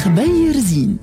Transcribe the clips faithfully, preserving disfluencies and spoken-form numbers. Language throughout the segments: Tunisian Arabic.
خبير زين.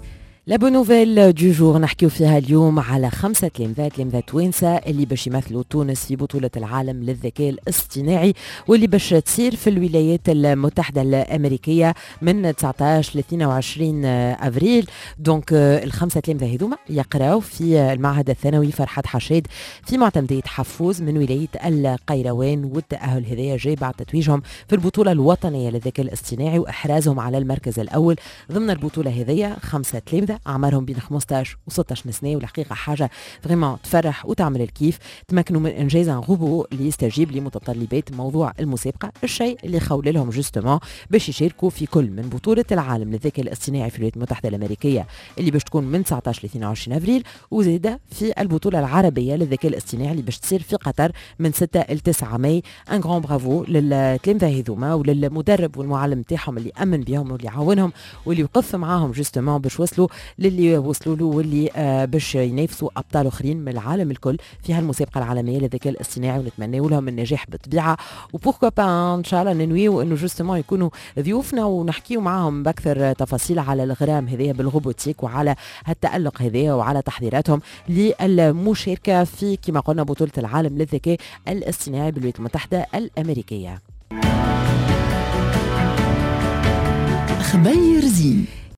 la bonne nouvelle du jour نحكيو فيها اليوم على خمسة تلامذة تلامذة توانسة اللي باش يمثلوا تونس في بطولة العالم للذكاء الاصطناعي، واللي باش تصير في الولايات المتحدة الأمريكية من تسعطاش ل اثنين وعشرين أفريل. donc الخمسة تلامذة هذوما يقراو في المعهد الثانوي فرحات حشاد في معتمدية حفوز من ولاية القيروان، والتأهل هذايا جاي بعد تتويجهم في البطولة الوطنية للذكاء الاصطناعي وإحرازهم على المركز الأول ضمن البطولة هذيا. خمسة تلامذة أعمارهم بين خمسطاش و ستاش سنة، والحقيقة حاجة vraiment تفرح وتعمل الكيف. تمكنوا من إنجاز un robot اللي يستجيب لمتطلبات موضوع المسابقة، الشيء اللي خول لهم justement باش يشاركوا في كل من بطولة العالم للذكاء الاصطناعي في الولايات المتحدة الأمريكية اللي باش تكون من تسعطاش ل اثنين وعشرين أفريل، وزادة في البطولة العربية للذكاء الاصطناعي اللي باش تصير في قطر من ستة ل تسعة ماي. un grand bravo للتلامذة هذوما وللمدرب والمعلم تاعهم اللي أمن بهم واللي عاونهم واللي وقف معاهم justement باش وصلوا للي وصلوا له، واللي آه باش ينافسوا ابطال اخرين من العالم الكل في هالمسابقه العالمية للذكاء الاصطناعي، ونتمنى لهم النجاح بالطبيعة. و pourquoi pas ان شاء الله ننويو انه justement يكونوا ضيوفنا ونحكيو معاهم باكثر تفاصيل على الغرام هذايا بال robotique وعلى هالتالق هذايا وعلى تحضيراتهم للمشاركة في كما قلنا بطوله العالم للذكاء الاصطناعي بالولايات المتحدة الامريكية. خبير زين.